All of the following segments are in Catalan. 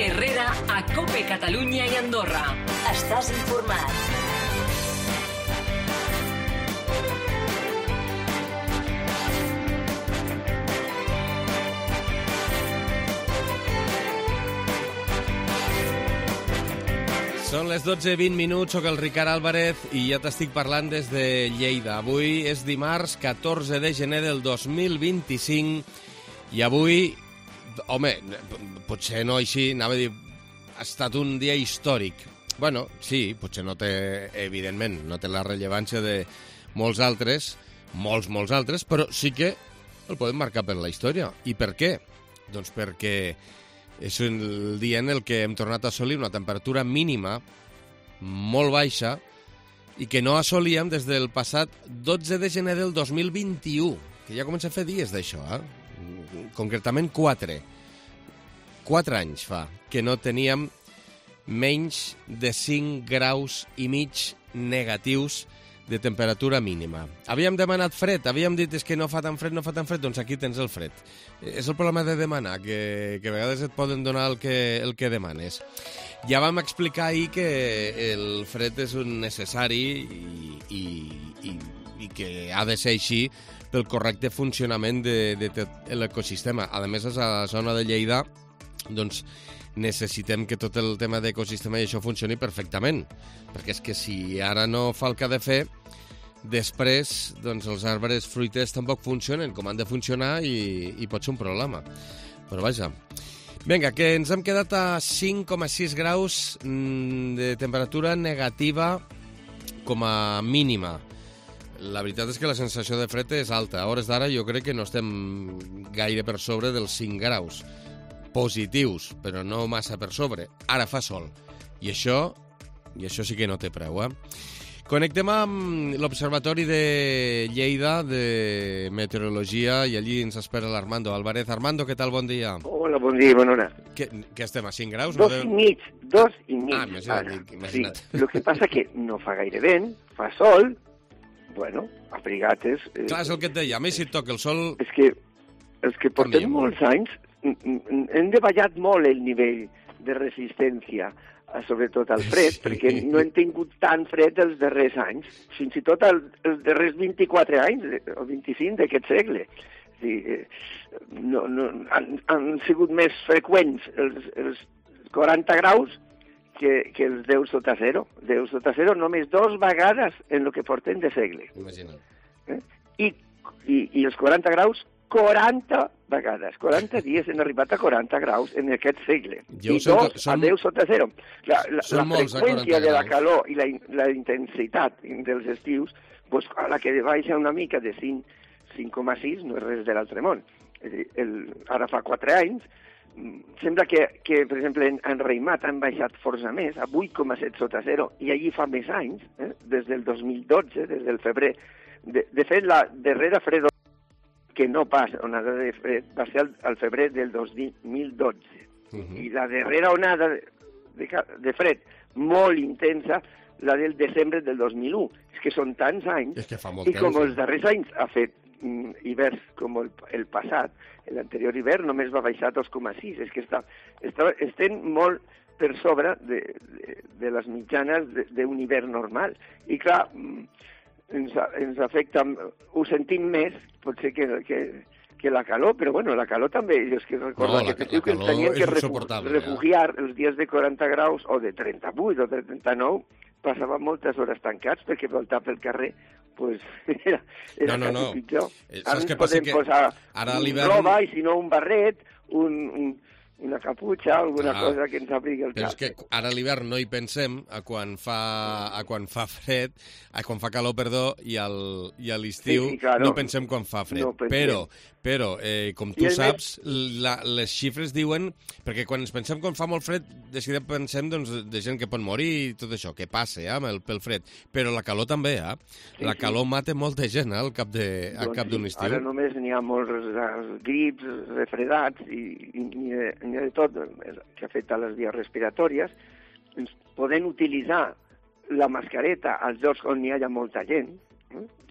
Herrera a COPE Catalunya i Andorra. Estàs informat. Són les 12:20, soc el Ricard Álvarez i ja t'estic parlant des de Lleida. Avui és dimarts 14 de gener del 2025 i avui, home, potser no així, anava a dir, ha estat un dia històric. Bueno, sí, potser no té, evidentment, no té la rellevància de molts altres, molts altres, però sí que el podem marcar per la història. I per què? Doncs perquè és el dia en el que hem tornat a assolir una temperatura mínima molt baixa i que no assolíem des del passat 12 de gener del 2021, que ja comença a fer dies d'això, concretament 4 anys fa que no teníem menys de 5 graus i mig negatius de temperatura mínima. Havíem demanat fred, havíem dit que no fa tan fred, doncs aquí tens el fred. És el problema de demanar, que a vegades et poden donar el que demanes. Ja vam explicar ahir que el fred és un necessari i que ha de ser així pel correcte funcionament de tot l'ecosistema. A més, a la zona de Lleida, doncs, necessitem que tot el tema d'ecosistema i això funcioni perfectament, perquè és que si ara no fa el que ha de fer, després doncs els arbres fruiters tampoc funcionen com han de funcionar i pot ser un problema. Però vaja. Vinga, que ens hem quedat a 5,6 graus de temperatura negativa com a mínima. La veritat és que la sensació de fred és alta. A hores d'ara jo crec que no estem gaire per sobre dels 5 graus. Positius, però no massa per sobre. Ara fa sol. I això sí que no té preu, Connectem amb l'Observatori de Lleida de Meteorologia i allí ens espera l'Armando Álvarez. Armando, què tal? Bon dia. Hola, bon dia, bona hora. Què estem, a 5 graus? 2,5. Imagina't. Sí, el que passa que no fa gaire vent, fa sol, bueno, abrigates... Clar, és el que et deia, a mi si et toca el sol... És que portem molts anys, hem davallat molt el nivell de resistència, sobretot al fred, perquè no hem tingut tan fred els darrers anys, fins i tot els darrers 24 anys o 25 d'aquest segle. És dir, han sigut més freqüents els 40 graus que els 10 sota zero. 10 sota zero només 2 vegades en el que portem de segle. Imagina't. I els 40 graus 40 vegades. 40 dies hem arribat a 40 graus en aquest segle. I 2 a 10 sota zero. La freqüència de la calor i la intensitat dels estius, doncs, a la que baixa una mica de 5,6 no és res de l'altre món. És a dir, ara fa 4 anys, sembla que per exemple, en Reimat han baixat força més, a 8,7 sota zero, i allí fa més anys, des del 2012, des del febrer. De fet, la darrera fredor que no passa, onada de fred, va ser al febrer del 2012. I la darrera onada de fred molt intensa, la del desembre del 2001. És que són tants anys, i com els darrers anys ha fet hiverns com el passat, l'anterior hivern només va baixar 2,6. És que estem molt per sobre de les mitjanes d'un hivern normal. I clar, ens afecta, ho sentim més, potser que la calor, però bueno, la calor també, jo és que recordo que ens tenien que refugiar els dies de 40 graus o de 38 o de 39, passaven moltes hores tancats perquè voltar pel carrer pues, era quasi pitjor. Ara ens podem posar roba i si no un barret, una caputxa, alguna cosa que ens abrigui el cap. Però és que ara a l'hivern no hi pensem, a quan fa fred, a quan fa calor, perdó, i a l'estiu no pensem quan fa fred. Però, com tu saps, les xifres diuen... Perquè quan ens pensem quan fa molt fred, de seguida pensem de gent que pot morir i tot això, que passa pel fred. Però la calor també, La calor mata molta gent al cap d'un estiu. Ara només n'hi ha molts grips, refredats i n'hi ha de tot que afecta les vies respiratòries. Podem utilitzar la mascareta als llocs on hi ha molta gent,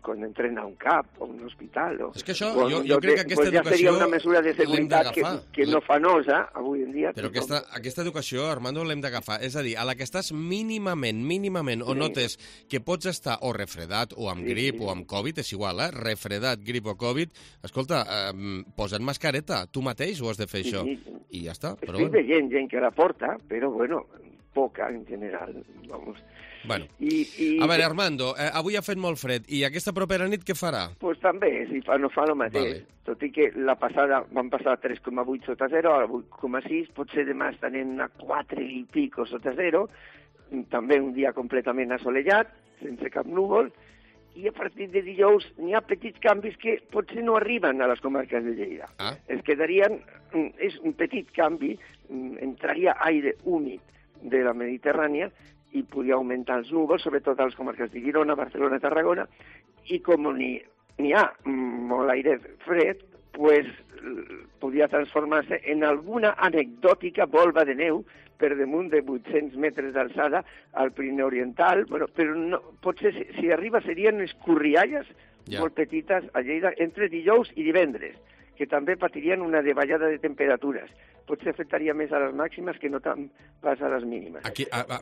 quan entren a un CAP o un hospital. És que això, jo crec que aquesta educació... Ja seria una mesura de seguretat que no fa nosa avui en dia. Però aquesta educació, Armando, l'hem d'agafar. És a dir, a la que estàs mínimament, o notes que pots estar o refredat, o amb grip, o amb Covid, és igual, refredat, grip o Covid, escolta, posa't mascareta, tu mateix ho has de fer, això. I ja està. Estic veient gent que la porta, però, bueno, poca en general, vamos... Bueno, a veure, Armando, avui ha fet molt fred, i aquesta propera nit què farà? Pues també, si no fa el mateix, tot i que la passada van passar 3,8 sota 0, a 8,6, potser demà estarem a 4 i pico sota 0, també un dia completament assolellat, sense cap núvol, i a partir de dijous n'hi ha petits canvis que potser no arriben a les comarques de Lleida. Es quedarien, és un petit canvi, entraria aire húmid de la Mediterrània, i podria augmentar els núvols, sobretot a les comarques de Girona, Barcelona, Tarragona, i com n'hi ha molt aire fred, pues, podria transformar-se en alguna anecdòtica volva de neu per damunt de 800 metres d'alçada al Pirineu Oriental, bueno, però no, potser si arriba serien escorrialles molt petites a Lleida entre dijous i divendres, que també patirien una davallada de temperatures. Potser afectaria més a les màximes que no tant pas a les mínimes.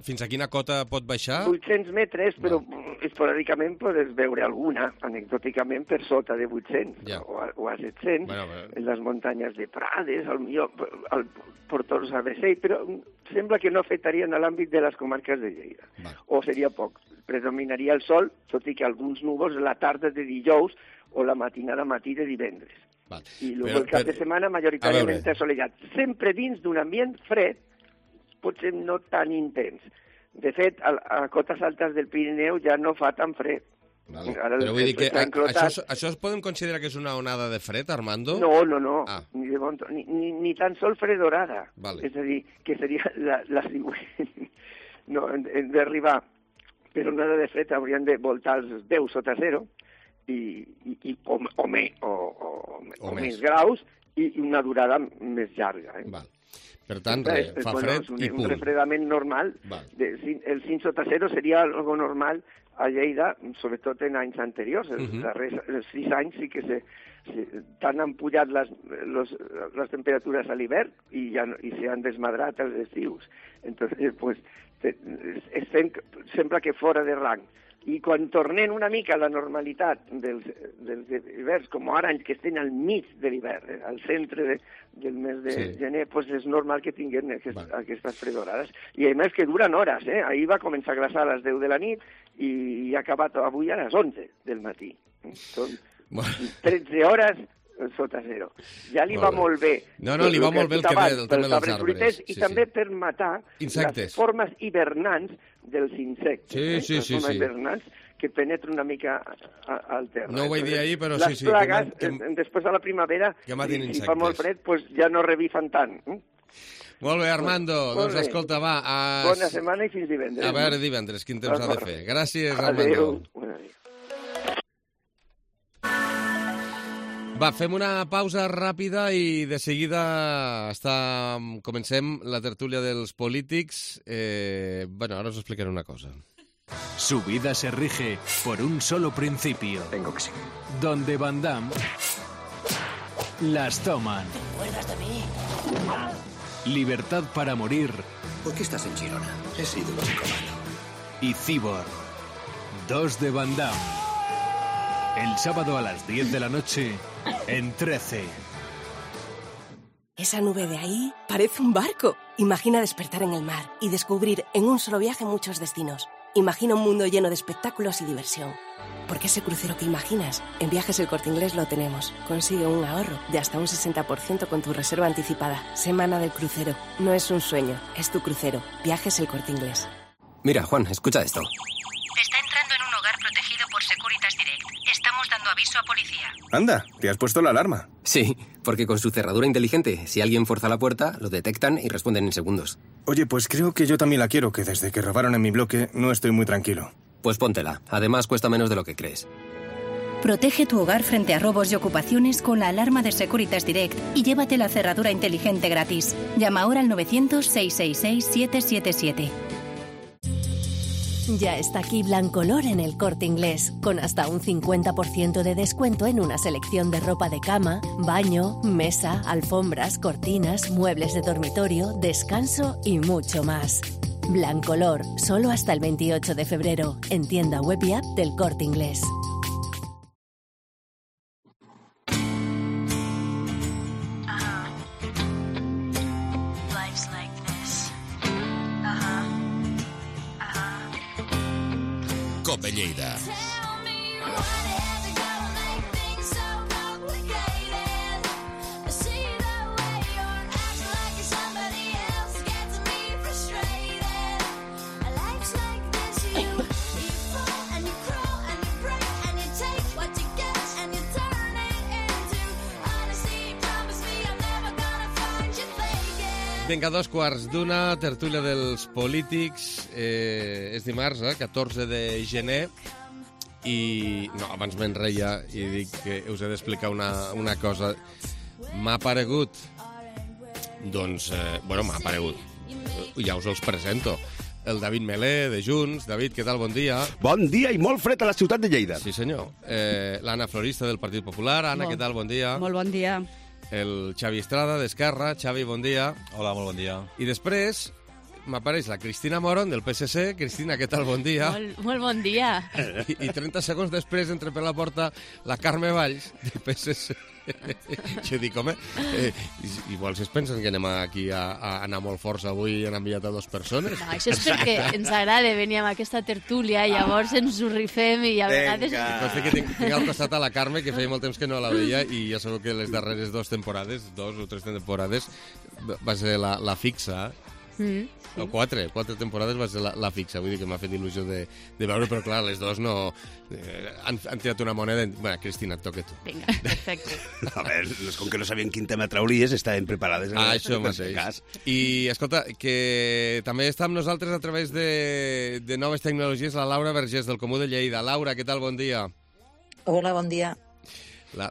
Fins a quina cota pot baixar? 800 metres, però esporàdicament podes veure alguna, anecdòticament, per sota de 800 o a 700, en les muntanyes de Prades, al Portors ABC, però sembla que no afectarien a l'àmbit de les comarques de Lleida. O seria poc. Predominaria el sol, tot i que alguns núvols la tarda de dijous o la matinada matí de divendres. I el cap de setmana majoritàriament assolellat, sempre dins d'un ambient fred, potser no tan intens. De fet, a cotes altes del Pirineu ja no fa tan fred. Però vull dir que això es podem considerar que és una onada de fred, Armando? No, ni tan sol fredorada. És a dir, que seria la següent. No, hem d'arribar per onada de fred, haurien de voltar els 10 sota 0, o més graus, i una durada més llarga. Per tant, fa fred i punt. Un refredament normal. El 5 sota 0 seria algo normal a Lleida, sobretot en anys anteriors. Els 6 anys sí que tant han pujat les temperatures a l'hivern i s'han desmadrat els estius. Entonces, pues, sembla que fora de rang. I quan tornem una mica a la normalitat dels hiverns, com ara que estem al mig de l'hivern, al centre del mes de gener, doncs és normal que tinguem aquestes fredorades. I a més que duren hores, Ahir va començar a glaçar a les 10 de la nit i ha acabat avui a les 11 del matí. Són 13 hores sota 0. Ja li va molt bé. Li va molt bé el tema dels arbres. I també per matar les formes hivernants dels insectes. Sí. Formes hivernants que penetren una mica al terra. No ho vaig dir ahir, però sí. Les plagues, després de la primavera, si fa molt fred, ja no revifen tant. Molt bé, Armando. Doncs escolta, va. Bona setmana i fins divendres. A veure divendres, quin temps ha de fer. Gràcies, Armando. Va, fem una pausa ràpida i de seguida comencem la tertúlia dels polítics. Ahora os explicaré una cosa. Su vida se rige por un solo principio. Tengo que seguir. Donde Van Damme las toman. ¿Te acuerdas de mí? Libertad para morir. ¿Por qué estás en Girona? He sido un chico malo. Y Cyborg. 2 de Van Damme. El sábado a las 10 de la noche en 13. Esa nube de ahí parece un barco. Imagina despertar en el mar y descubrir en un solo viaje muchos destinos. Imagina un mundo lleno de espectáculos y diversión. Porque ese crucero que imaginas, en Viajes El Corte Inglés lo tenemos. Consigue un ahorro de hasta un 60% con tu reserva anticipada. Semana del crucero. No es un sueño, es tu crucero. Viajes El Corte Inglés. Mira, Juan, escucha esto. Está entrando en un hogar protegido por Securitas Direct. Estamos dando aviso a policía. Anda, ¿te has puesto la alarma? Sí, porque con su cerradura inteligente, si alguien fuerza la puerta, lo detectan y responden en segundos. Oye, pues creo que yo también la quiero, que desde que robaron en mi bloque no estoy muy tranquilo. Pues póntela. Además, cuesta menos de lo que crees. Protege tu hogar frente a robos y ocupaciones con la alarma de Securitas Direct y llévate la cerradura inteligente gratis. Llama ahora al 900-666-777. Ya está aquí Blancolor en El Corte Inglés, con hasta un 50% de descuento en una selección de ropa de cama, baño, mesa, alfombras, cortinas, muebles de dormitorio, descanso y mucho más. Blancolor, solo hasta el 28 de febrero, en tienda web y app del Corte Inglés. COPE Lleida. Vinga, 2:15, tertúlia dels polítics. És dimarts, 14 de gener, i no, abans m'enreia i dic que us he d'explicar una cosa. M'ha aparegut, doncs, m'ha aparegut, ja us els presento. El David Melé, de Junts. David, què tal? Bon dia. Bon dia i molt fred a la ciutat de Lleida. Sí, senyor. L'Anna Florista, del Partit Popular. Anna, què tal? Bon dia. Molt bon dia. El Xavi Estrada, d'Esquerra. Xavi, bon dia. Hola, molt bon dia. I després m'apareix la Cristina Moron, del PSC. Cristina, què tal? Bon dia. Molt bon dia. I 30 segons després entra per la porta la Carme Valls, del PSC. Jo dic, home, igual si es pensen que anem aquí a anar molt forts avui i han enviat a 2 persones. No, això és perquè ens agrada venir amb aquesta tertúlia i llavors ens ho rifem i a vegades... Consta que tinc al costat a la Carme, que feia molt temps que no la veia, i ja sabeu que les darreres 2 temporades, 2 o 3 temporades, va ser la fixa. Sí. O 4 temporades va ser la fixa, vull dir que m'ha fet il·lusió de veure, però clar, les 2 no... han tirat una moneda... Bueno, Cristina, et toca tu. Vinga, perfecte. A veure, com que no sabien quin tema trauries, estaven preparades. Això mateix. I, escolta, que també està amb nosaltres a través de noves tecnologies la Laura Vergés, del Comú de Lleida. Laura, què tal? Bon dia. Hola, bon dia. La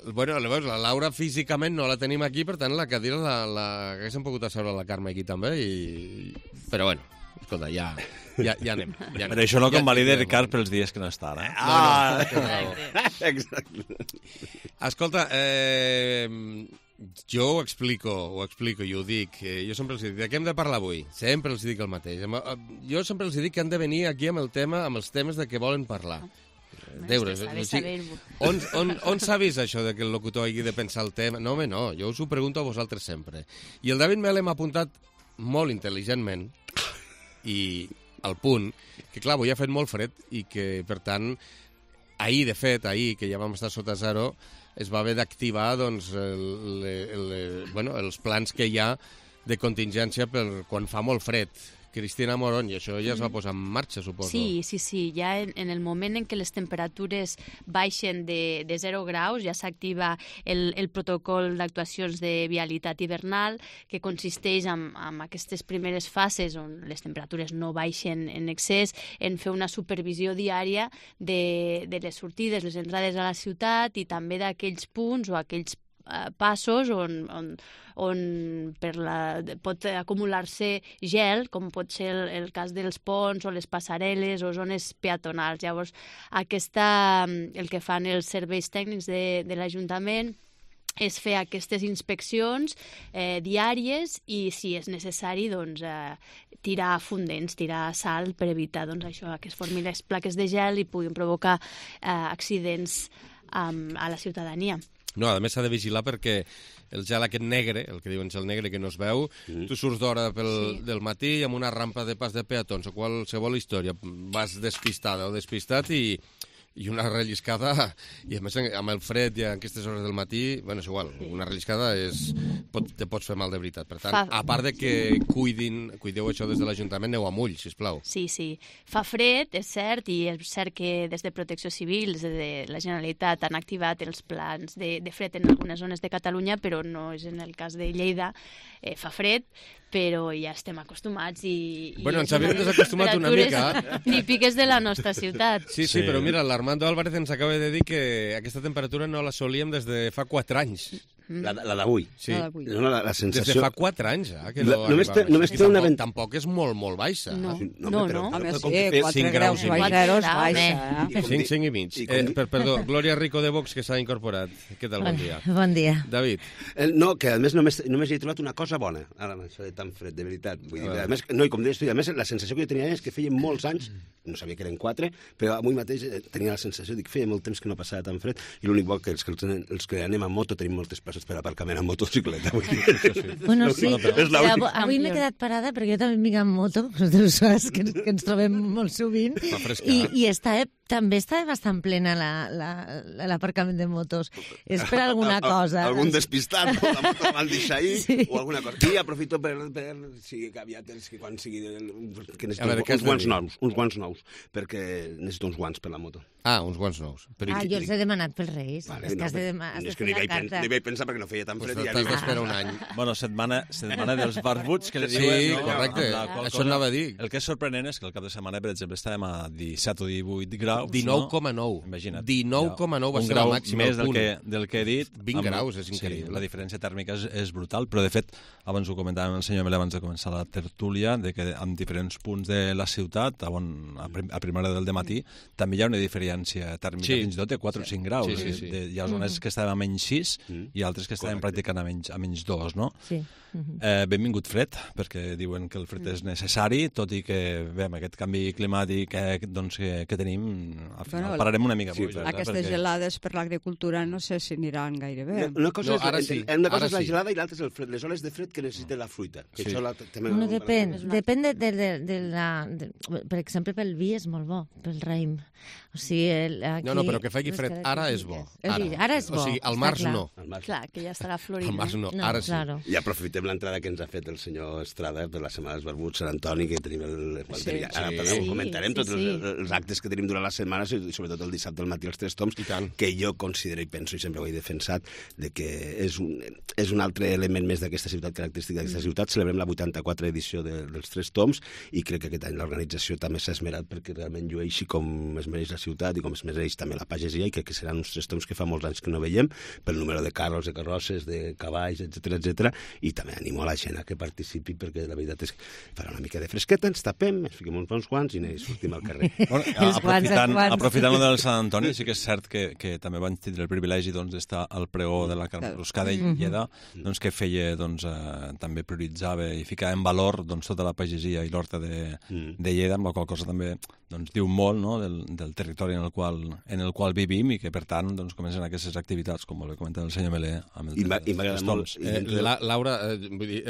Laura físicament no la tenim aquí, per tant la cadira haguéssim pogut asseure la Carme aquí també, però bueno, escolta, ja anem. Però això no convalida Ricard pels dies que no està, eh? Exacte. Escolta, jo ho explico i ho dic. Jo sempre els dic, de què hem de parlar avui? Sempre els dic el mateix. Jo sempre els dic que han de venir aquí amb els temes de què volen parlar. On s'ha vist això de que el locutor hagi de pensar el tema? No, home, no, jo us ho pregunto a vosaltres sempre. I el David Melé m'ha apuntat molt intel·ligentment i al punt que, clar, avui ha fet molt fred i que, per tant, ahir, que ja vam estar sota zero, es va haver d'activar doncs, els plans que hi ha de contingència per quan fa molt fred. Cristina Moron, i això ja es va posar en marxa, suposo. Sí. Ja en el moment en què les temperatures baixen de 0 graus, ja s'activa el protocol d'actuacions de vialitat hivernal, que consisteix en aquestes primeres fases on les temperatures no baixen en excés, en fer una supervisió diària de les sortides, les entrades a la ciutat i també d'aquells punts o aquells passos on pot acumular-se gel, com pot ser el cas dels ponts o les passarel·les o zones peatonals. Llavors, el que fan els serveis tècnics de l'Ajuntament és fer aquestes inspeccions diàries i, si és necessari, doncs, tirar fondents, tirar sal per evitar això, que es formin les plaques de gel i puguin provocar accidents a la ciutadania. No, a més s'ha de vigilar perquè el gel aquest negre, el que diuen gel negre que no es veu, tu surts d'hora del matí amb una rampa de pas de peatons o qualsevol història, vas despistada o despistat i una relliscada, i a més amb el fred i a aquestes hores del matí, bueno, és igual, una relliscada te pots fer mal de veritat. Per tant, a part de que cuideu això des de l'Ajuntament, aneu amb ull, sisplau. Sí. Fa fred, és cert, i és cert que des de Protecció Civil, des de la Generalitat, han activat els plans de fred en algunes zones de Catalunya, però no és en el cas de Lleida. Fa fred, però ja estem acostumats i ens havíem desacostumat una mica. Típiques de la nostra ciutat. Sí, però mira, l'Armando Álvarez ens acaba de dir que aquesta temperatura no la solíem des de fa 4 anys. La d'avui. Sí. La sensació... Des de fa 4 anys, que no només té una vent... Tampoc és molt, molt baixa. No. Home, sí, 4 graus baixeros, baixa. 5 i mig. Perdó, Glòria Rico de Vox, que s'ha incorporat. Què tal? Bon dia. Bon dia. David. No, que a més només hi he trobat una cosa bona, ara amb això de tan fred, de veritat. Vull dir, a més, no, i com deies tu, a més, la sensació que jo tenia és que feia molts anys, no sabia que eren 4, però avui mateix tenia la sensació que feia molt temps que no passava tan fred, i l'únic bo que els que anem a moto tenim moltes places per aparcament amb motocicleta. Bueno, sí, avui m'he quedat parada perquè jo també vinc amb moto, que ens trobem molt sovint, i també està bastant plena l'aparcament de motos. És per alguna cosa. Algun despistat, la moto van deixar ahir, o alguna cosa. I aprofito per sigui que aviat, quan sigui... uns guants nous, perquè necessito uns guants per la moto. Uns guants nous. Jo els he demanat pels Reis. És que no hi vaig pensar perquè no feia tan fred. T'has d'esperar un any. Bueno, setmana dels barbuts, que li diuen... Sí, correcte. Això anava a dir. El que és sorprenent és que el cap de setmana, per exemple, estàvem a 17 o 18 graus. 19,9. Imagina't. 19,9 va ser la màxima. Més del que he dit. 20 graus, és increïble. La diferència tèrmica és brutal, però de fet, abans ho comentàvem el senyor Melé abans de començar la tertúlia, de que en diferents punts de la ciutat, a primera hora del dematí, també hi ha una diferència tèrmica fins i tot de 4 o 5 graus. Hi ha zones que estaven a menys 6 i altres que estaven pràcticament a menys 2, no? Sí. Benvingut fred, perquè diuen que el fred és necessari, tot i que, bé, amb aquest canvi climàtic que tenim, al final pararem una mica. Aquestes gelades per l'agricultura no sé si aniran gaire bé. Una cosa és la gelada i l'altra és el fred, les oles de fred que necessita la fruita. Depèn de la... Per exemple, pel vi és molt bo, pel raïm. O sigui, no, però que faci fred ara és bo. Ara és bo. O sigui, al març no. Clar, que ja estarà florint. Al març no, ara sí. I aprofitem l'entrada que ens ha fet el senyor Estrada per la Setmana dels Barbuts, Sant Antoni, que tenim ara comentarem tots els actes que tenim durant la setmana, i sobretot el dissabte al matí els 3 toms, que jo considero i penso, i sempre ho he defensat, de que és un altre element més d'aquesta ciutat, característica d'aquesta ciutat. Celebrem la 84a edició dels 3 toms i crec que aquest any l'organització també s'ha esmerat perquè realment llueixi com es mereix la ciutat i com es mereix també la pagesia, i crec que seran uns 3 toms que fa molts anys que no veiem, pel número de carros, de carrosses, de cavalls, etc. I també animo a la gent a que participi, perquè la veritat és que farà una mica de fresqueta, ens tapem, ens fiquem uns bons guants i sortim al carrer. Aprofitant del Sant Antoni, sí que és cert que també van tindre el privilegi d'estar al pregó de la Carruscada i Lleida, que feia, també prioritzava i ficava en valor tota la pagesia i l'horta de Lleida, amb la qual cosa també diu molt del territori en el qual vivim, i que per tant comencen aquestes activitats, com ho comenta el senyor Melé. I m'agrada molt. Laura,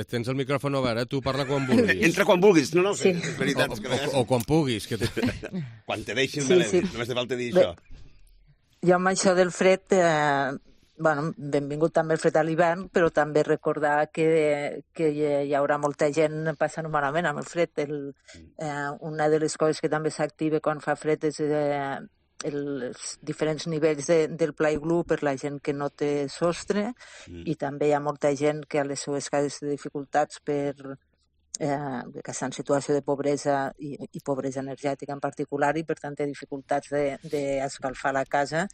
tens el micròfon obert, tu parla quan vulguis. Entra quan vulguis, no, és veritat. O quan puguis. Quan te deixin, només te falta dir això. Jo amb això del fred, benvingut també el fred a l'hivern, però també recordar que hi haurà molta gent passant malament amb el fred. Una de les coses que també s'activa quan fa fred és els diferents nivells del pla iglú per la gent que no té sostre, i també hi ha molta gent que a les seues cases té dificultats que està en situació de pobresa i pobresa energètica en particular, i per tant té dificultats d'escalfar la casa,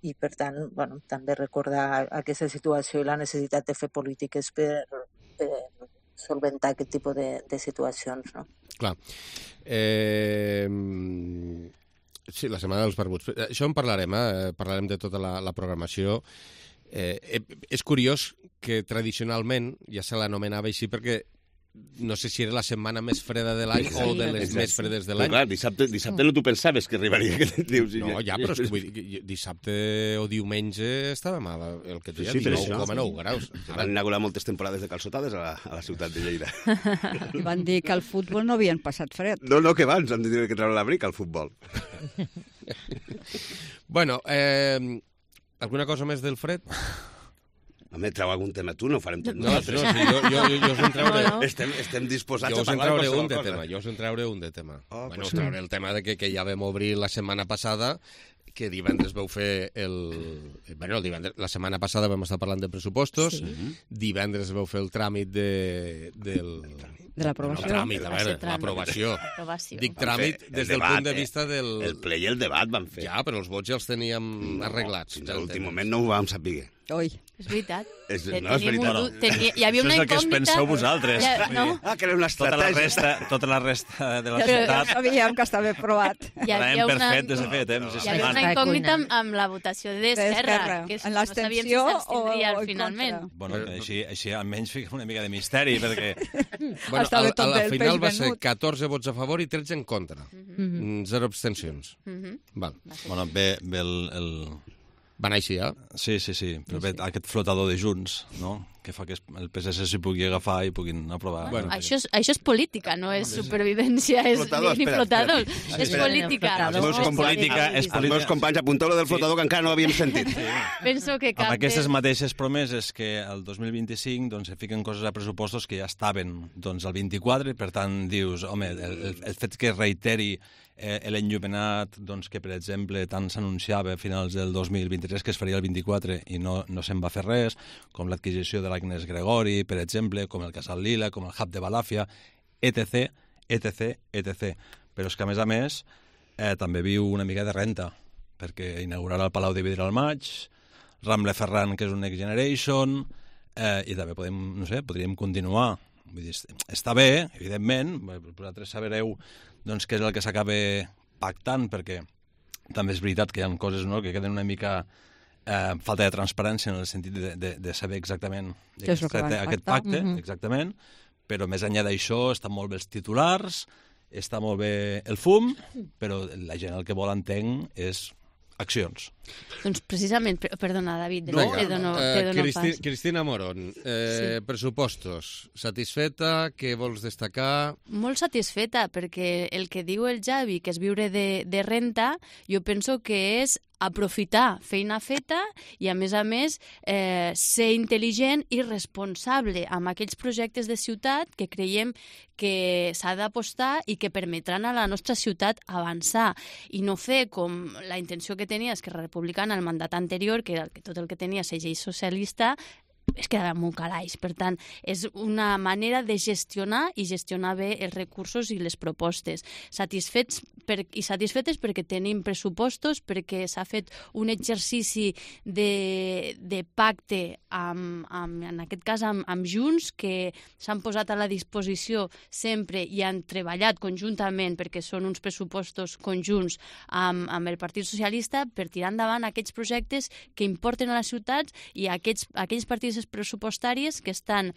i per tant també recordar aquesta situació i la necessitat de fer polítiques per solventar aquest tipus de situacions. No? Clar. Sí, la Setmana dels Barbuts. Això en parlarem, parlarem de tota la programació. És curiós que tradicionalment ja se l'anomenava així perquè no sé si era la setmana més freda de l'any o de les més fredes de l'any. Clar, dissabte no tu pensaves que arribaria aquest dius. No, però és que vull dir, dissabte o diumenge estàvem el que deia, 19,9 graus. Van inaugurar moltes temporades de calçotades a la ciutat de Lleida. I van dir que al futbol no havien passat fred. No, que van, han de dir que treure l'abric al futbol. Bueno, alguna cosa més del fred? Home, treu algun tema tu, no ho farem tot nosaltres. No, jo us en trauré... Estem disposats a parlar de qualsevol cosa. Jo us en trauré un de tema. Us trauré el tema de que ja vam obrir la setmana passada, que divendres vau fer la setmana passada vam estar parlant de pressupostos, divendres vau fer el tràmit de l'aprovació. L'aprovació. Dic tràmit des del punt de vista del... El ple i el debat van fer. Ja, però els vots ja els teníem arreglats. Fins a l'últim moment no ho vam saber. Oi. És veritat. No, és veritat. Hi havia una incògnita... Això és el que es penseu vosaltres. Que era una estratègia. Tota la resta de la Ja ciutat... sabíem que estava provat. L'hem perfet des de fet. Hi havia una incògnita amb la votació d'Esquerra, que no sabíem si s'abstindria finalment. Bueno, així almenys fica una mica de misteri, perquè... A la final va ser 14 vots a favor i 13 en contra. 0 abstencions. Bueno, bé el... Va anar així, eh? Sí. Però bé, aquest flotador de Junts, no?, que fa que el PSC s'hi pugui agafar i puguin aprovar. Bueno, això és política, no és supervivència, ni flotador. És política. Els meus companys, apunteu-lo del flotador, que encara no l'havíem sentit. Penso que amb aquestes mateixes promeses que el 2025 doncs, se fiquen coses a pressupostos que ja estaven doncs, el 24, i per tant dius, home, el fet que reiteri l'enllumenat doncs, que, per exemple, tant s'anunciava a finals del 2023 que es faria el 24 i no se'n va fer res, com l'adquisició de l'Agnès Gregori, per exemple, com el Casal Lila, com el Hub de Balàfia, etc. Però és que, a més, també viu una mica de renta, perquè inaugurarà el Palau de Vidre al maig, Ramble Ferran, que és un Next Generation, i també podríem continuar. Vull dir, està bé, evidentment, vosaltres sabereu doncs, què és el que s'acaba pactant, perquè també és veritat que hi ha coses que queden una mica falta de transparència en el sentit de saber exactament de què es tracta aquest pacte, exactament, però més enllà d'això estan molt bé els titulars, està molt bé el fum, però la gent el que vol, entenc, és accions. Doncs precisament, perdona, David, te dono pas. Cristina Moron, pressupostos, satisfeta, què vols destacar? Molt satisfeta, perquè el que diu el Javi, que és viure de renta, jo penso que és aprofitar feina feta i, a més, ser intel·ligent i responsable amb aquells projectes de ciutat que creiem que s'ha d'apostar i que permetran a la nostra ciutat avançar i no fer com la intenció que tenia Esquerra Republicana el mandat anterior, que tot el que tenia segell socialista es quedava en un calaix. Per tant, és una manera de gestionar i gestionar bé els recursos i les propostes. Satisfetes perquè tenim pressupostos, perquè s'ha fet un exercici de pacte, en aquest cas amb Junts, que s'han posat a la disposició sempre i han treballat conjuntament, perquè són uns pressupostos conjunts amb el Partit Socialista, per tirar endavant aquests projectes que importen a les ciutats i aquells partits pressupostàries que estan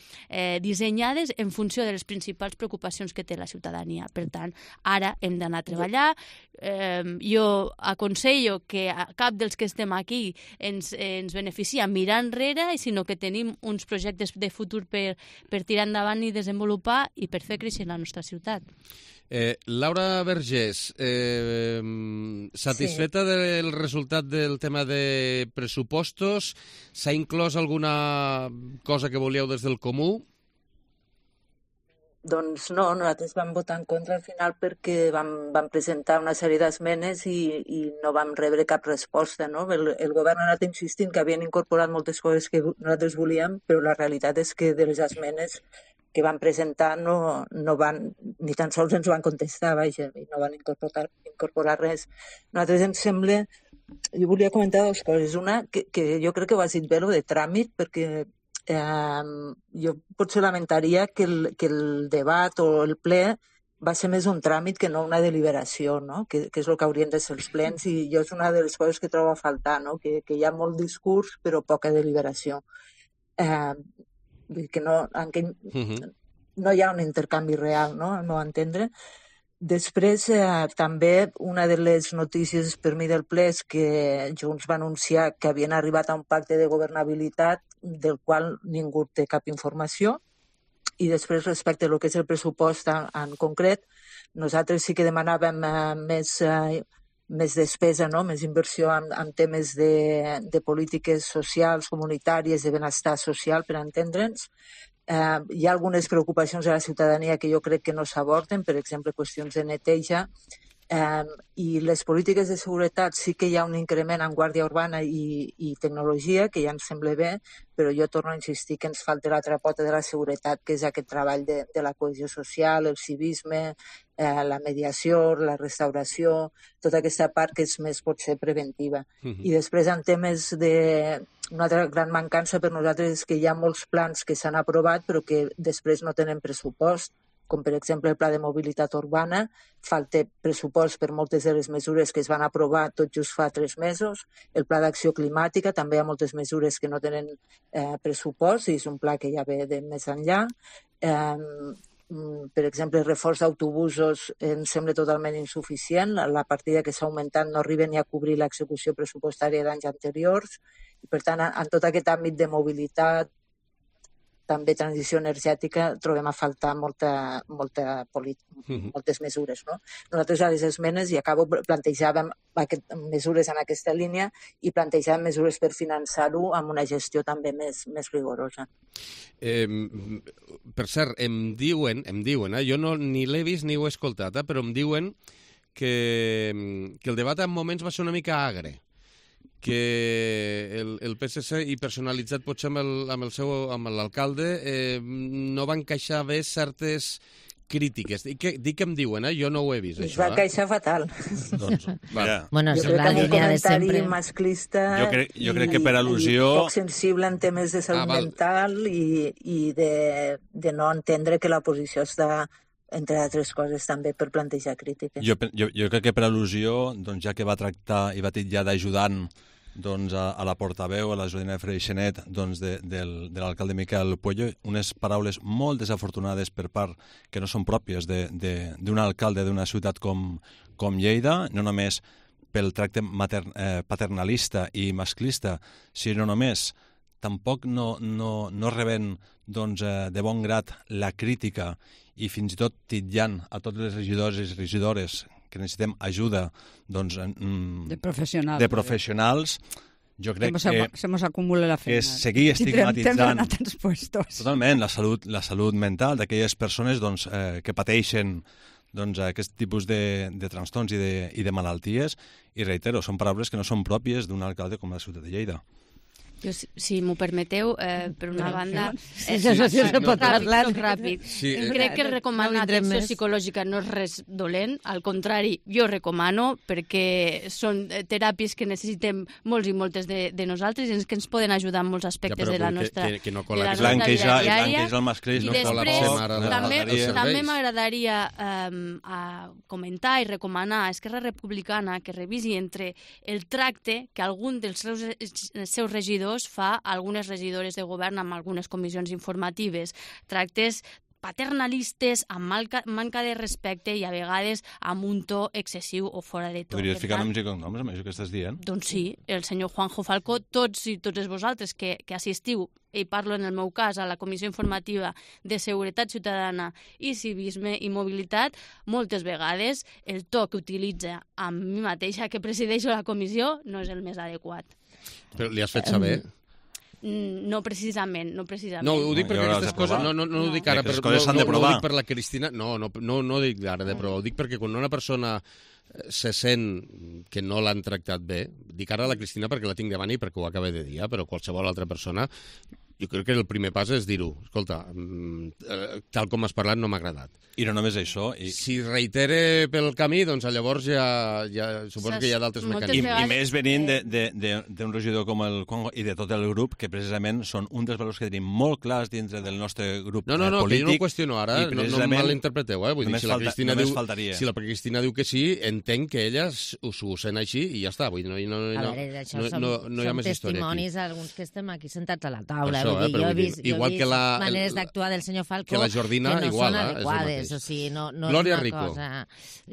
dissenyades en funció de les principals preocupacions que té la ciutadania. Per tant, ara hem d'anar a treballar. Jo aconsello que cap dels que estem aquí ens beneficia mirar enrere, sinó que tenim uns projectes de futur per tirar endavant i desenvolupar i per fer créixer la nostra ciutat. Laura Vergés, satisfeta del resultat del tema de pressupostos? S'ha inclòs alguna cosa que volíeu des del Comú? Doncs no, nosaltres vam votar en contra al final perquè vam presentar una sèrie d'esmenes i no vam rebre cap resposta, no? El govern ha anat insistint que havien incorporat moltes coses que nosaltres volíem, però la realitat és que de les esmenes que van presentar no van, ni tan sols ens van contestar, vaja, i no van incorporar res. A nosaltres ens sembla, jo volia comentar dues coses. Una, que jo crec que ho has dit bé, lo de tràmit, perquè jo potser lamentaria que el debat o el ple va ser més un tràmit que no una deliberació, no? Que és el que haurien de ser els plens, i jo és una de les coses que trobo a faltar, no? Que hi ha molt discurs però poca deliberació. Que no hi ha un intercanvi real, no? Al meu entendre. Després, també, una de les notícies per mi del ple és que Junts va anunciar que havien arribat a un pacte de governabilitat del qual ningú té cap informació. I després, respecte a lo que és el pressupost en concret, nosaltres sí que demanàvem més despesa, no? Més inversió en temes de polítiques socials, comunitàries, de benestar social, per entendre'ns. Hi ha algunes preocupacions de la ciutadania que jo crec que no s'aborden, per exemple, qüestions de neteja, I les polítiques de seguretat sí que hi ha un increment en guàrdia urbana i tecnologia, que ja ens sembla bé, però jo torno a insistir que ens falta l'altra pota de la seguretat, que és aquest treball de la cohesió social, el civisme, la mediació, la restauració, tota aquesta part que és més potser preventiva. I després en temes de... Una altra gran mancança per nosaltres és que hi ha molts plans que s'han aprovat però que després no tenen pressupost, com per exemple el Pla de Mobilitat Urbana, falta pressupost per moltes de les mesures que es van aprovar tot just fa 3 mesos. El Pla d'Acció Climàtica, també hi ha moltes mesures que no tenen pressupost i és un pla que ja ve de més enllà. Per exemple, el reforç d'autobusos ens sembla totalment insuficient. La partida que s'ha augmentat no arriba ni a cobrir l'execució pressupostària d'anys anteriors. I, per tant, en tot aquest àmbit de mobilitat, també transició energètica, trobem a faltar moltes mesures. No? Nosaltres a les esmenes, i acabo, plantejàvem mesures en aquesta línia i plantejàvem mesures per finançar-ho amb una gestió també més rigorosa. Per cert, em diuen, jo ni l'he vist ni ho he escoltat, però em diuen que el debat en moments va ser una mica agre, que el PSC, i personalitzat potser amb l'alcalde, no va encaixar bé certes crítiques. Dic que em diuen, jo no ho he vist, això. Va encaixar fatal. Doncs, bueno, jo crec que un comentari masclista jo crec que per al·lusió... poc sensible en temes de salut mental i de no entendre que la posició està, entre altres coses, també per plantejar crítiques. Jo crec que per al·lusió, doncs, ja que va tractar i va titllar d'ajudant doncs, a la portaveu, a la Jordina Freixenet, doncs, de l'alcalde Miquel Puello, unes paraules molt desafortunades per part que no són pròpies d'un alcalde d'una ciutat com Lleida, no només pel tracte paternalista i masclista, sinó només tampoc no rebent doncs, de bon grat la crítica i fins i tot titllant a tots els regidors i regidores que necessitem ajuda doncs, de professionals, jo crec que se nos acumula la feina. És seguir estigmatitzant totalment la salut mental d'aquelles persones doncs, que pateixen doncs, aquest tipus de trastorns i de malalties, i reitero, són paraules que no són pròpies d'un alcalde com la ciutat de Lleida. Jo, si m'ho permeteu, per una banda... Ràpid. Crec que recomanar atenció psicològica no és res dolent, al contrari, jo recomano, perquè són teràpies que necessitem molts i moltes de nosaltres i que ens poden ajudar en molts aspectes de la nostra vida diària. I després, també m'agradaria comentar i recomanar a Esquerra Republicana que revisi entre el tracte que algun dels seus regidors fa algunes regidores de govern amb algunes comissions informatives. Tractes paternalistes, amb manca de respecte i a vegades amb un to excessiu o fora de to. Podries ficar noms i cognoms amb això que estàs dient? Doncs sí, el senyor Juanjo Falcó, tots vosaltres que assistiu, i parlo en el meu cas, a la Comissió Informativa de Seguretat Ciutadana i Civisme i Mobilitat, moltes vegades el to que utilitza amb mi mateixa, que presideixo la comissió, no és el més adequat. Però li has fet saber? No precisament. No, ho dic perquè aquestes coses... No ho dic ara, no ho dic per la Cristina... No ho dic ara de prova. Ho dic perquè quan una persona se sent que no l'han tractat bé, dic ara a la Cristina perquè la tinc davant i perquè ho acaba de dir, però qualsevol altra persona... Jo crec que el primer pas és dir-ho. Escolta, tal com has parlat no m'ha agradat. I no només això. Si reitere pel camí, doncs llavors ja suposo que hi ha d'altres mecanismes. I més venint d'un regidor com el Congo i de tot el grup, que precisament són un dels valors que tenim molt clars dintre del nostre grup polític. No, que jo no ho qüestiono ara, no em malinterpreteu. Vull dir, si la Cristina diu que sí, entenc que ella ho sent així i ja està. Vull dir, no hi ha més història aquí. Som testimonis, alguns que estem aquí sentats a la taula. Jo he vist maneres d'actuar del senyor Falcó que la Jordina, que no igual, són adequades, o sigui, no Glòria és una Rico. Cosa...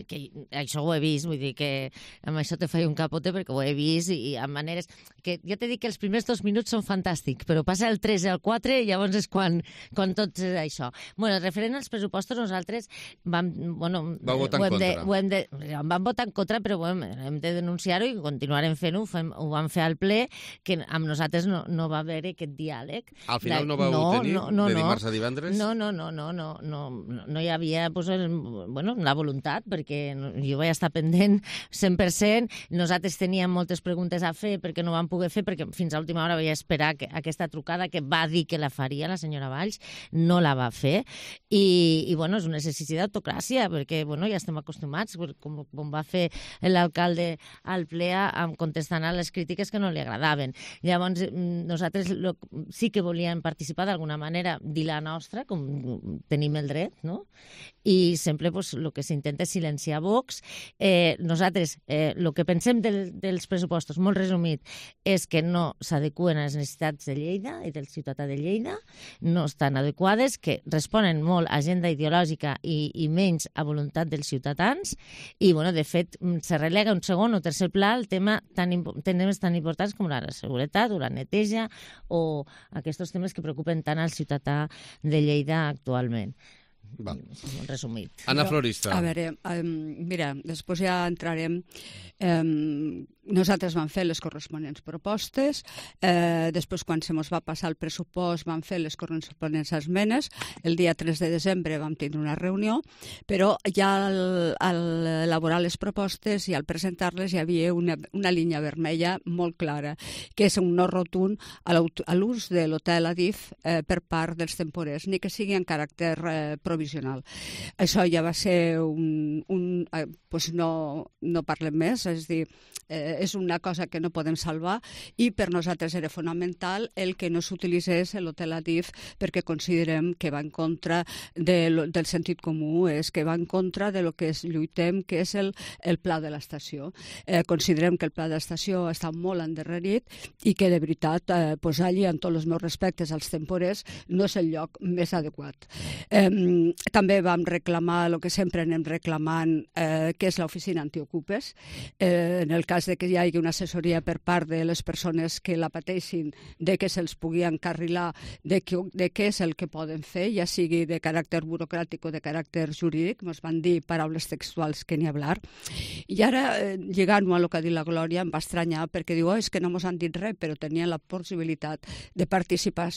Que això ho he vist, vull dir que amb això te faig un capote perquè ho he vist i amb maneres... Que jo t'he dit que els primers 2 minuts són fantàstics, però passa el 3 i el 4 i llavors és quan tot és això. Bueno, referent als pressupostos, nosaltres vam votar en contra. Vam votar en contra, però hem de denunciar-ho i continuarem fent-ho. Ho vam fer al ple, que amb nosaltres no va haver aquest diàleg. crític. Al final no vau tenir de dimarts a divendres? No hi havia la voluntat, perquè jo vaig estar pendent 100%. Nosaltres teníem moltes preguntes a fer perquè no vam poder fer, perquè fins a última hora vaig esperar aquesta trucada que va dir que la faria la senyora Valls, no la va fer. I és un exercici d'autocràcia, perquè ja estem acostumats, com va fer l'alcalde al ple contestant a les crítiques que no li agradaven. Llavors, nosaltres sí que volíem participar d'alguna manera, dir la nostra, com tenim el dret, no? I sempre el que s'intenta és silenciar Vox. Nosaltres, el que pensem dels pressupostos, molt resumit, és que no s'adeqüen a les necessitats de Lleida i del ciutadà de Lleida, no estan adequades, que responen molt a agenda ideològica i menys a voluntat dels ciutadans, i, de fet, se relega un segon o tercer pla el tema temes tan importants com la seguretat o la neteja o aquests temes que preocupen tant al ciutadà de Lleida actualment. Molt resumit. Anna Florista. A veure, mira, després ja entrarem... Nosaltres vam fer les corresponents propostes, després quan se mos va passar el pressupost vam fer les corresponents esmenes, el dia 3 de desembre vam tenir una reunió, però ja al elaborar les propostes i al presentar-les hi havia una línia vermella molt clara, que és un no rotund a l'ús de l'hotel Adif per part dels temporers, ni que sigui en caràcter provisional. Això ja va ser no parlem més, és a dir, és una cosa que no podem salvar i per nosaltres era fonamental el que no s'utilitzés l'hotel Adif perquè considerem que va en contra del sentit comú, és que va en contra de lo que lluitem, que és el pla de l'estació. Considerem que el pla de l'estació està molt endarrerit i que de veritat posar-hi, amb tots els meus respectes als temporers, no és el lloc més adequat. També vam reclamar el que sempre anem reclamant, que és l'oficina antiocupes. En el cas de que hi hagi una assessoria per part de les persones que la pateixin, de que se'ls pugui encarrilar de què és el que poden fer, ja sigui de caràcter burocràtic o de caràcter jurídic, ens van dir paraules textuals que ni hablar. I ara, llegant-ho a el que ha dit la Glòria, em va estranyar perquè diu, és que no ens han dit res, però tenien la possibilitat de participar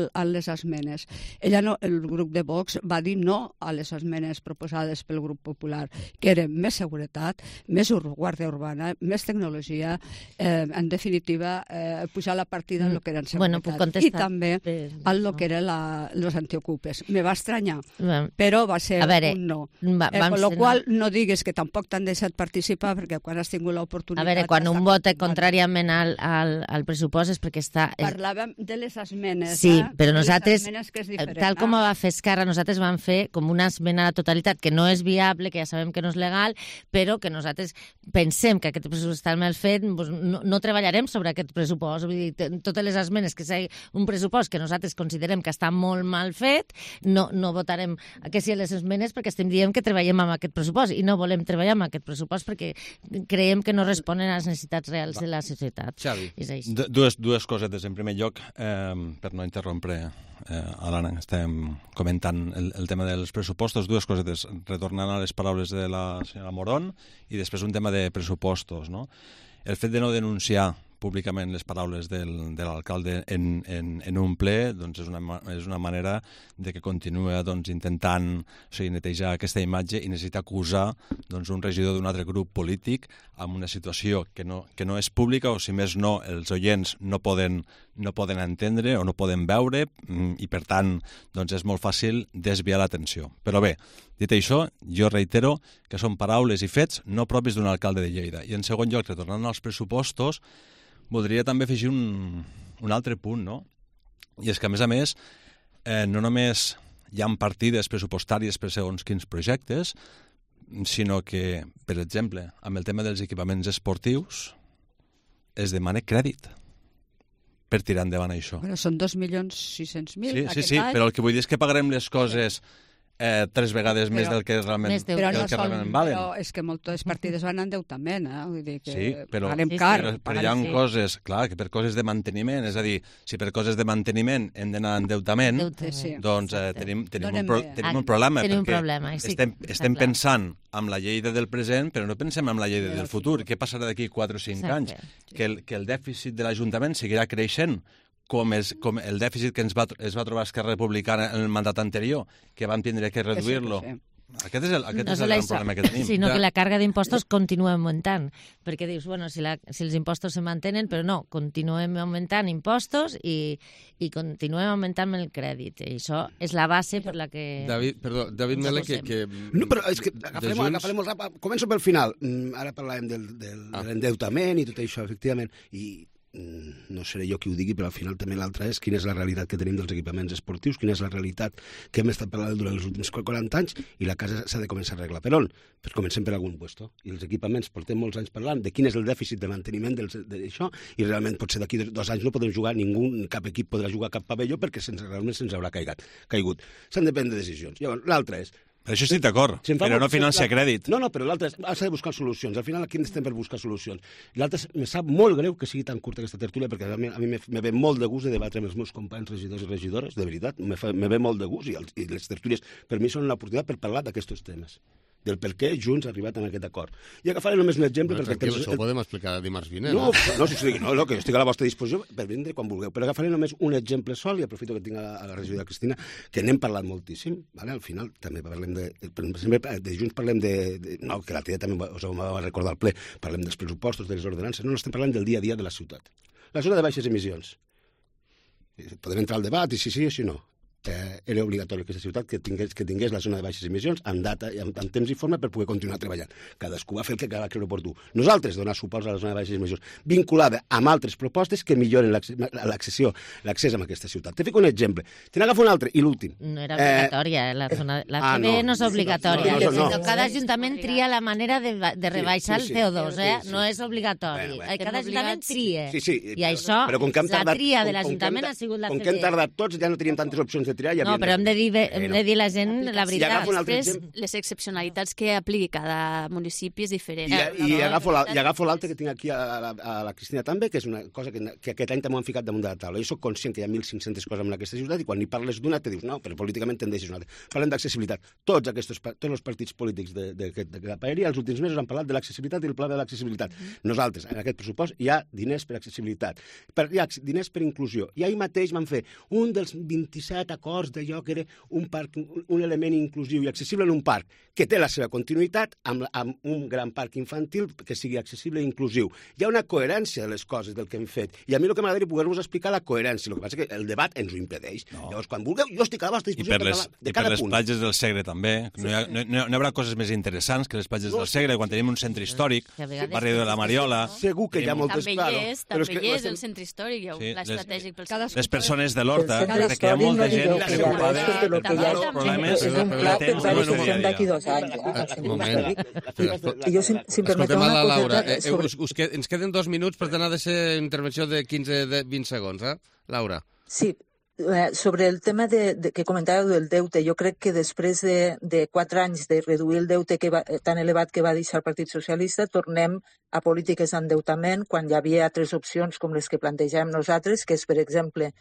a les esmenes. El grup de Vox va dir no a les esmenes proposades pel grup popular, que eren més seguretat, més guàrdia urbana, més tecnologia, en definitiva, pujar la partida en el que eren seguretat. I també en el que eren els antiocupes. Me va estranyar, però va ser un no. Con lo qual, no digues que tampoc t'han deixat participar, perquè quan has tingut l'oportunitat... A veure, quan un vota contràriament al pressupost és perquè està... Parlàvem de les esmenes. Sí, però nosaltres, tal com va fer Esquerra, nosaltres vam fer com una esmena a la totalitat, que no és viable, que ja sabem que no és legal, però que nosaltres pensem que aquest pressupost està mal fet, no treballarem sobre aquest pressupost. Vull dir, totes les esmenes que sigui un pressupost que nosaltres considerem que està molt mal fet, no votarem que sí a les esmenes perquè estem dient que treballem amb aquest pressupost i no volem treballar amb aquest pressupost perquè creiem que no responen a les necessitats reals de la societat. Xavi. Dues cosetes. En primer lloc, per no interrompre a l'Anna, estem comentant el tema dels pressupostos, dues cosetes, retornant a les paraules de la senyora Morón i després un tema de pressupostos, no? El fet de no denunciar públicament les paraules de l'alcalde en un ple doncs és una manera de que continua intentant netejar aquesta imatge i necessita acusar un regidor d'un altre grup polític amb una situació que no és pública o, si més no, els oients no poden entendre o no poden veure i, per tant, és molt fàcil desviar l'atenció. Però bé, dit això, jo reitero que són paraules i fets no propis d'un alcalde de Lleida. I, en segon lloc, retornant als pressupostos, voldria també afegir un altre punt, no? I és que, a més, no només hi ha partides pressupostàries per segons quins projectes, sinó que, per exemple, amb el tema dels equipaments esportius, es demana crèdit per tirar endavant això. Però són 2.600.000 aquest any. Sí, però el que vull dir és que pagarem les coses 3 vegades més del que realment valen. Però és que moltes partides van a endeutament, vull dir que pagarem car. Però hi ha coses, clar, que per coses de manteniment, és a dir, si per coses de manteniment hem d'anar a endeutament, doncs tenim un problema, perquè estem pensant amb la Lleida del present, però no pensem en la Lleida del futur. Què passarà d'aquí 4 o 5 anys? Que el dèficit de l'Ajuntament seguirà creixent com el dèficit que es va trobar Esquerra Republicana en el mandat anterior, que vam tindre que reduir-lo. Aquest és el gran problema que tenim. Sinó que la càrrega d'impostos continua augmentant, perquè dius, bueno, si els impostos se mantenen, però no, continuem augmentant impostos i continuem augmentant el crèdit. I això és la base per la que... David Mele, que... No, però és que agafem molt ràpid. Començo pel final. Ara parlàvem de l'endeutament i tot això, efectivament, i no seré jo qui ho digui, però al final també l'altre és quina és la realitat que tenim dels equipaments esportius, quina és la realitat que hem estat parlant durant els últims 40 anys, i la casa s'ha de començar a arreglar. Per on? Pues comencem per algun puesto. I els equipaments portem molts anys parlant de quin és el dèficit de manteniment d'això, i realment potser d'aquí 2 anys no podem jugar cap equip podrà jugar cap pavelló perquè realment se'ns haurà caigut. S'han de prendre decisions. Llavors, l'altre és... Per això estic d'acord, però no financia crèdit. No, però l'altre s'ha de buscar solucions. Al final aquí estem per buscar solucions. L'altre me sap molt greu que sigui tan curta aquesta tertúlia, perquè a mi me ve molt de gust de debatre amb els meus companys regidors i regidores, de veritat, me ve molt de gust, i les tertúlies per mi són una oportunitat per parlar d'aquests temes, del per què Junts ha arribat a aquest acord. I agafaré només un exemple... Això ho podem explicar dimarts vinent. No, que jo estic a la vostra disposició per vindre quan vulgueu, però agafaré només un exemple sol, i aprofito que tinc a la regidora Cristina, que n'hem parlat moltíssim, al final també parlem de Junts, parlem no, que l'altre dia també us ho va recordar al ple, parlem dels pressupostos, de les ordenances, no estem parlant del dia a dia de la ciutat. La zona de baixes emissions. Podem entrar al debat, i si sí o si no. Era obligatori que aquesta ciutat que tingués la zona de baixes emissions en data, en temps i forma per poder continuar treballant. Cadascú va fer el que va creure oportú. Nosaltres donar suport a la zona de baixes emissions, vinculada amb altres propostes que milloren l'accés a aquesta ciutat. Te fico un exemple. Te n'agafo un altre, i l'últim. No era obligatòria, la CB no és obligatòria. Cada ajuntament tria la manera de rebaixar el CO2, no és obligatori. Cada ajuntament tria. I això, la tria de l'Ajuntament ha sigut la CB. Com que hem tardat tots, ja no teníem tantes opcions de triar. No, però hem de dir la gent la veritat. Després, les excepcionalitats que apliqui cada municipi és diferent. I agafo l'altre que tinc aquí a la Cristina també, que és una cosa que aquest any també ho han ficat damunt de la taula. Jo soc conscient que hi ha 1.500 coses en aquesta ciutat i quan hi parles d'una te dius no, però políticament te'n deixes una altra. Parlem d'accessibilitat. Tots els partits polítics de la paeria els últims mesos han parlat de l'accessibilitat i el pla de l'accessibilitat. Nosaltres, en aquest pressupost, hi ha diners per accessibilitat, hi ha diners per inclusió. I ahir mateix vam fer un dels 27 acords d'allò que era un element inclusiu i accessible en un parc, que té la seva continuïtat amb un gran parc infantil que sigui accessible i inclusiu. Hi ha una coherència de les coses del que hem fet, i a mi el que m'agradaria poder-vos explicar la coherència. El que passa és que el debat ens ho impedeix. Llavors, quan vulgueu, jo estic a la vostra disposició de cada punt. I per les platges del Segre també. No hi haurà coses més interessants que les platges del Segre, quan tenim un centre històric, el barri de la Mariola... Segur que hi ha moltes... També hi és el centre històric, hi ha un pla estratègic pels... Les persones de l'Horta, perquè hi ha molta gent que de lo que ya es un pla per la discussió d'aquí 2 anys. I jo, si em permeteu una coseta... Ens queden 2 minuts, per tant ha de ser intervenció de 15-20 segons, Laura? Sí, sobre el tema que comentàveu del deute, jo crec que després de 4 anys de reduir el deute tan elevat que va deixar el Partit Socialista, tornem a polítiques d'endeutament quan hi havia altres opcions com les que plantejàvem nosaltres, que és, per exemple,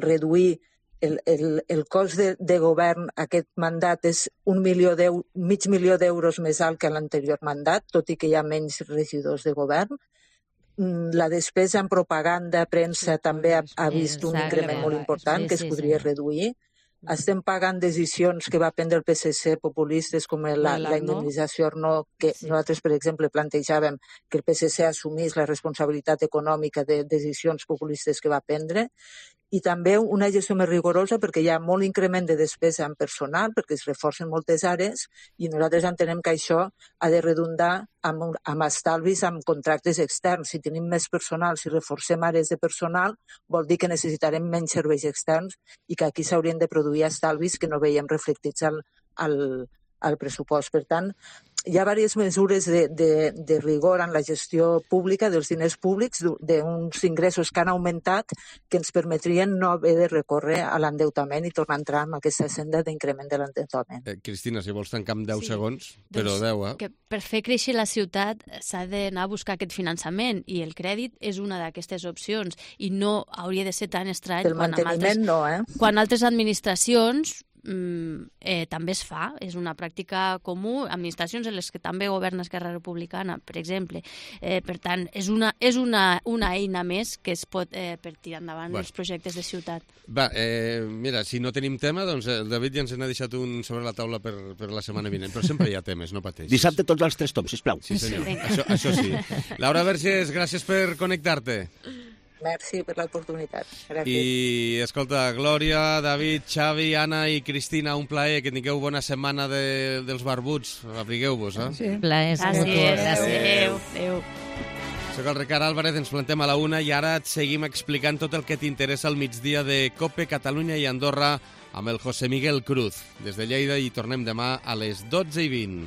reduir el cost de govern. Aquest mandat és mig milió d'euros més alt que l'anterior mandat, tot i que hi ha menys regidors de govern. La despesa en propaganda, premsa, també ha vist un increment molt important que es podria reduir. Estem pagant decisions que va prendre el PSC populistes com la indemnització Arnau, que nosaltres, per exemple, plantejàvem que el PSC assumís la responsabilitat econòmica de decisions populistes que va prendre, i també una gestió més rigorosa perquè hi ha molt increment de despesa en personal, perquè es reforcen moltes àrees, i nosaltres entenem que això ha de redundar amb estalvis, amb contractes externs. Si tenim més personal, si reforcem àrees de personal, vol dir que necessitarem menys serveis externs i que aquí s'haurien de produir estalvis que no veiem reflectits al pressupost. Per tant, hi ha diverses mesures de rigor en la gestió pública dels diners públics, d'uns ingressos que han augmentat que ens permetrien no haver de recórrer a l'endeutament i tornar a entrar en aquesta senda d'increment de l'endeutament. Cristina, si vols tancar amb 10 segons, però 10, que per fer créixer la ciutat s'ha d'anar a buscar aquest finançament i el crèdit és una d'aquestes opcions i no hauria de ser tan estrany quan altres administracions també es fa, és una pràctica comú, administracions en les que també governa Esquerra Republicana, per exemple. Per tant, és una eina més que es pot per tirar endavant els projectes de ciutat. Va, mira, si no tenim tema, doncs el David ja ens n'ha deixat un sobre la taula per la setmana vinent, però sempre hi ha temes, no pateixis. Dissabte tots els 3 toms, sisplau. Sí, senyor, això sí. Laura Vergés, gràcies per connectar-te. Merci per l'oportunitat. Gràcies. I, escolta, Glòria, David, Xavi, Anna i Cristina, un plaer, que tingueu bona setmana dels barbuts. Abrigueu-vos, eh? Sí. Plaer. Gràcies. Adéu. Soc el Ricard Álvarez, ens plantem a la 1 i ara et seguim explicant tot el que t'interessa al migdia de COPE, Catalunya i Andorra amb el José Miguel Cruz. Des de Lleida i tornem demà a les 12:20.